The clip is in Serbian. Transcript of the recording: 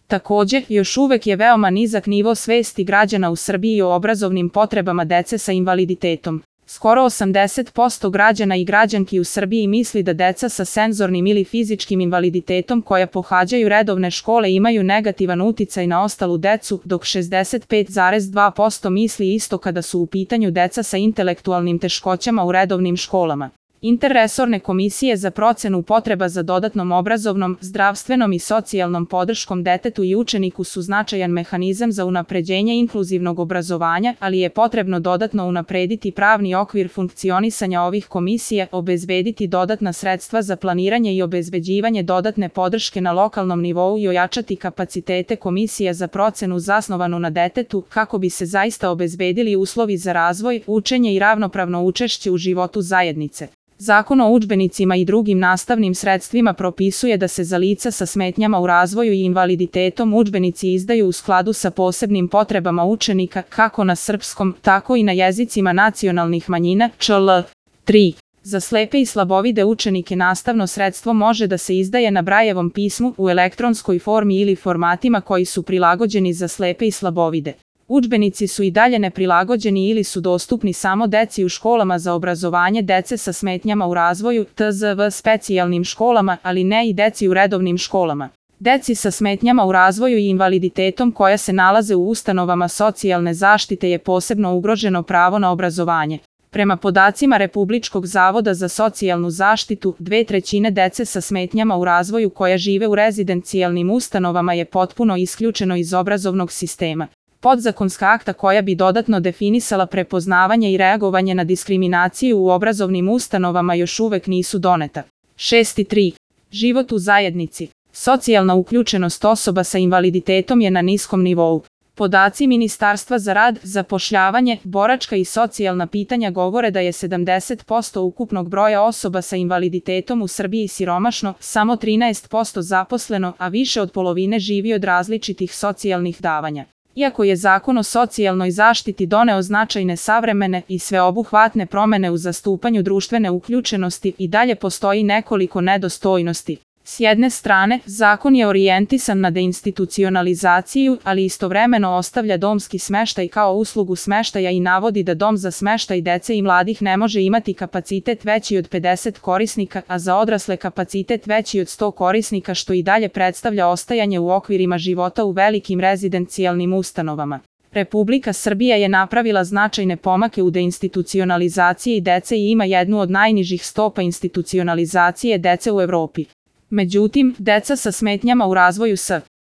Takođe, još uvek je veoma nizak nivo svesti građana u Srbiji o obrazovnim potrebama dece sa invaliditetom. Skoro 80% građana i građanki u Srbiji misli da deca sa senzornim ili fizičkim invaliditetom koja pohađaju redovne škole imaju negativan uticaj na ostalu decu, dok 65,2% misli isto kada su u pitanju deca sa intelektualnim teškoćama u redovnim školama. Interresorne komisije za procenu potreba za dodatnom obrazovnom, zdravstvenom i socijalnom podrškom detetu i učeniku su značajan mehanizam za unapređenje inkluzivnog obrazovanja, ali je potrebno dodatno unaprediti pravni okvir funkcionisanja ovih komisija, obezbediti dodatna sredstva za planiranje i obezbeđivanje dodatne podrške na lokalnom nivou i ojačati kapacitete komisija za procenu zasnovanu na detetu, kako bi se zaista obezbedili uslovi za razvoj, učenje i ravnopravno učešće u životu zajednice. Zakon o udžbenicima i drugim nastavnim sredstvima propisuje da se za lica sa smetnjama u razvoju i invaliditetom udžbenici izdaju u skladu sa posebnim potrebama učenika, kako na srpskom, tako i na jezicima nacionalnih manjina, čl. 3. Za slepe i slabovide učenike nastavno sredstvo može da se izdaje na Brajevom pismu, u elektronskoj formi ili formatima koji su prilagođeni za slepe i slabovide. Udžbenici su i dalje neprilagođeni ili su dostupni samo deci u školama za obrazovanje dece sa smetnjama u razvoju, TZV specijalnim školama, ali ne i deci u redovnim školama. Deci sa smetnjama u razvoju i invaliditetom koja se nalaze u ustanovama socijalne zaštite je posebno ugroženo pravo na obrazovanje. Prema podacima Republičkog zavoda za socijalnu zaštitu, 2/3 dece sa smetnjama u razvoju koja žive u rezidencijalnim ustanovama je potpuno isključeno iz obrazovnog sistema. Podzakonska akta koja bi dodatno definisala prepoznavanje i reagovanje na diskriminaciju u obrazovnim ustanovama još uvek nisu doneta. 6.3. Život u zajednici. Socijalna uključenost osoba sa invaliditetom je na niskom nivou. Podaci Ministarstva za rad, zapošljavanje, boračka i socijalna pitanja govore da je 70% ukupnog broja osoba sa invaliditetom u Srbiji siromašno, samo 13% zaposleno, a više od polovine živi od različitih socijalnih davanja. Iako je Zakon o socijalnoj zaštiti doneo značajne savremene i sveobuhvatne promene u zastupanju društvene uključenosti, i dalje postoji nekoliko nedostojnosti. S jedne strane, zakon je orijentisan na deinstitucionalizaciju, ali istovremeno ostavlja domski smeštaj kao uslugu smeštaja i navodi da dom za smeštaj dece i mladih ne može imati kapacitet veći od 50 korisnika, a za odrasle kapacitet veći od 100 korisnika, što i dalje predstavlja ostajanje u okvirima života u velikim rezidencijalnim ustanovama. Republika Srbija je napravila značajne pomake u deinstitucionalizaciji dece i ima jednu od najnižih stopa institucionalizacije dece u Evropi. Međutim, deca sa smetnjama u razvoju s